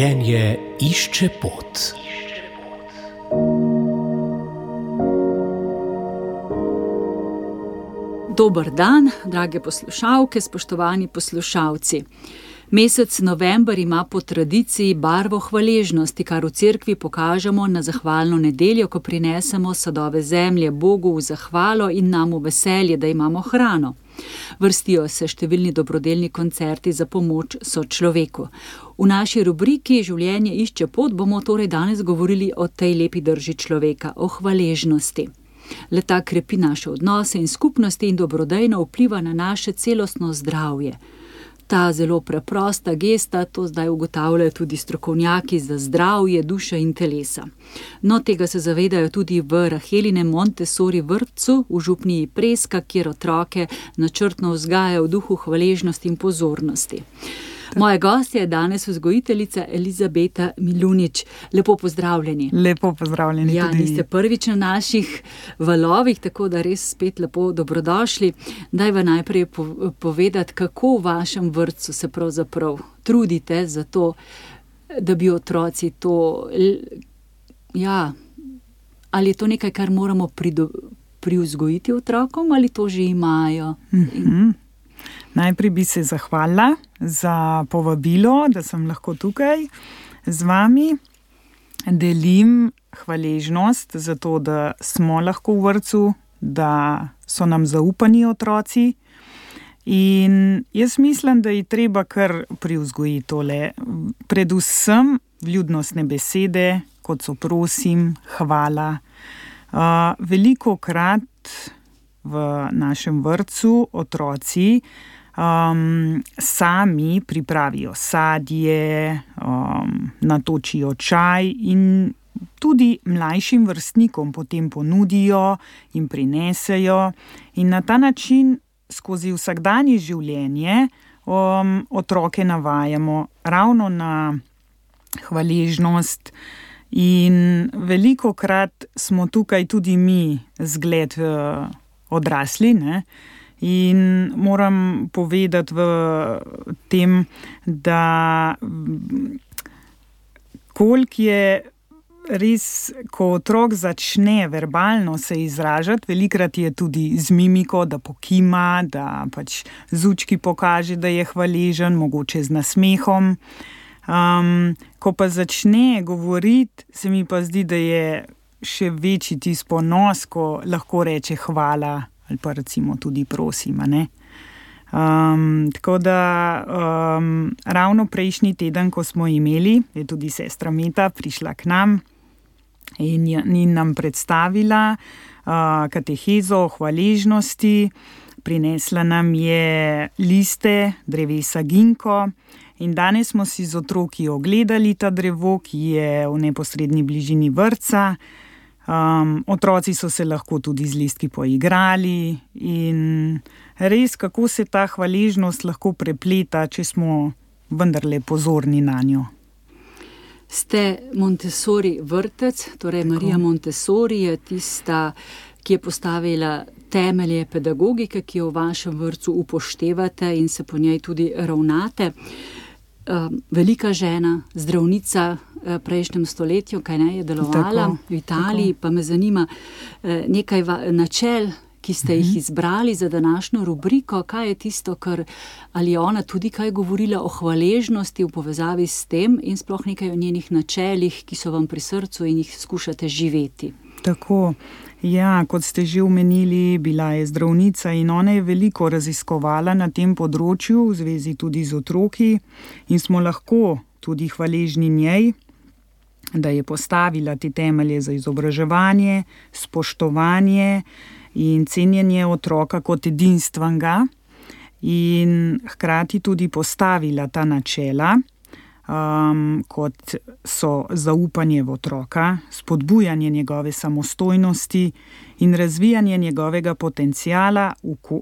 Življenje išče pot. Dober dan, drage poslušalke, spoštovani poslušalci. Mesec november ima po tradiciji barvo hvaležnosti, kar v cerkvi pokažemo na zahvalno nedeljo, ko prinesemo sadove zemlje Bogu v zahvalo in nam v veselje, da imamo hrano. Vrstijo se številni dobrodelni koncerti za pomoč sočloveku. V naši rubriki Življenje išče pot bomo torej danes govorili o tej lepi drži človeka, o hvaležnosti. Le-ta krepi naše odnose in skupnosti in dobrodejno vpliva na naše celostno zdravje. Ta zelo preprosta gesta, to zdaj ugotavljajo tudi strokovnjaki za zdravje duše in telesa. No, tega se zavedajo tudi v Rahelinem Montessori vrtcu v župniji Preska, kjer otroke načrtno vzgajajo v duhu hvaležnosti in pozornosti. Moja gostja je danes vzgojiteljica Elizabeta Milunič. Lepo pozdravljeni. Lepo pozdravljeni tudi. Niste prvič na naših valovih, tako da res spet lepo dobrodošli. Daj vam najprej povedati, kako v vašem vrtcu se pravzaprav trudite za to, da bi otroci to... ali je to nekaj, kar moramo privzgojiti otrokom, ali to že imajo? Najprej bi se zahvalila za povabilo, da sem lahko tukaj z vami. Delim hvaležnost za to, da smo lahko v vrtcu, da so nam zaupani otroci. In jaz mislim, da je treba kar privzgojiti tole. Predvsem vljudnostne besede, kot so prosim, hvala. Velikokrat v našem vrtcu otroci sami pripravijo sadje, natočijo čaj in tudi mlajšim vrstnikom potem ponudijo in prinesejo. In na ta način skozi vsakdanje življenje otroke navajamo ravno na hvaležnost. In velikokrat smo tukaj tudi mi zgled odrasli, ne? In moram povedati v tem, da koliko je res, ko otrok začne verbalno se izražati, velikrat je tudi z mimiko, da pokima, da pač z učki pokaže, da je hvaležen, mogoče z nasmehom. Ko pa začne govoriti, se mi pa zdi, da je še večji tisti ponos, ko lahko reče hvala ali pa recimo tudi prosim, ne? Tako da ravno prejšnji teden, ko smo imeli, je tudi sestra Meta prišla k nam in nam predstavila katehezo o hvaležnosti. Prinesla nam je liste drevesa ginko in danes smo si z otroki ogledali ta drevo, ki je v neposredni bližini vrtca. Otroci so se lahko tudi z listki poigrali in res, kako se ta hvaležnost lahko prepleta, če smo vendarle pozorni na njo. Ste Montessori vrtec, torej tako. Marija Montessori je tista, ki je postavila temelje pedagogike, ki jo v vašem vrtcu upoštevate in se po njej tudi ravnate. Velika žena, zdravnica prejšnjem stoletju, kaj ne, je delovala v Italiji, pa me zanima nekaj načel, ki ste jih izbrali za današnjo rubriko. Kaj je tisto, ali je ona tudi kaj govorila o hvaležnosti v povezavi s tem in sploh nekaj o njenih načelih, ki so vam pri srcu in jih skušate živeti? Tako, ja, kot ste že omenili, bila je zdravnica in ona je veliko raziskovala na tem področju, v zvezi tudi z otroki, in smo lahko tudi hvaležni njej, da je postavila te temelje za izobraževanje, spoštovanje in cenjenje otroka kot edinstvenega in hkrati tudi postavila ta načela, kot so zaupanje v otroka, spodbujanje njegove samostojnosti in razvijanje njegovega potenciala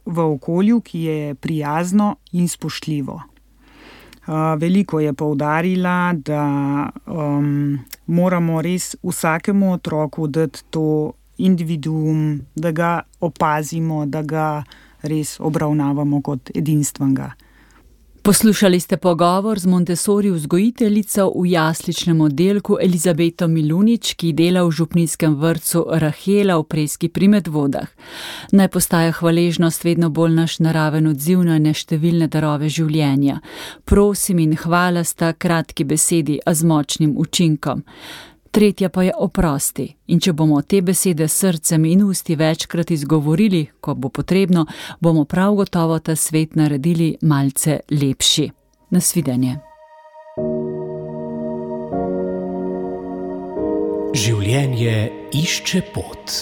v okolju, ki je prijazno in spoštljivo. Veliko je poudarila, da moramo res vsakemu otroku dati to individuum, da ga opazimo, da ga res obravnavamo kot edinstvenega. Poslušali ste pogovor z Montessori vzgojiteljico v jasličnem oddelku Elizabeto Milunič, ki dela v župnijskem vrtcu Rahela v Preski pri Medvodah. Naj postaja hvaležnost vedno bolj naš naraven odziv na neštevilne darove življenja. Prosim in hvala sta kratki besedi, a z močnim učinkom. Tretja pa je oprosti. In če bomo te besede s srcem in usti večkrat izgovorili, ko bo potrebno, bomo prav gotovo ta svet naredili malce lepši. Nasvidenje. Življenje išče pot.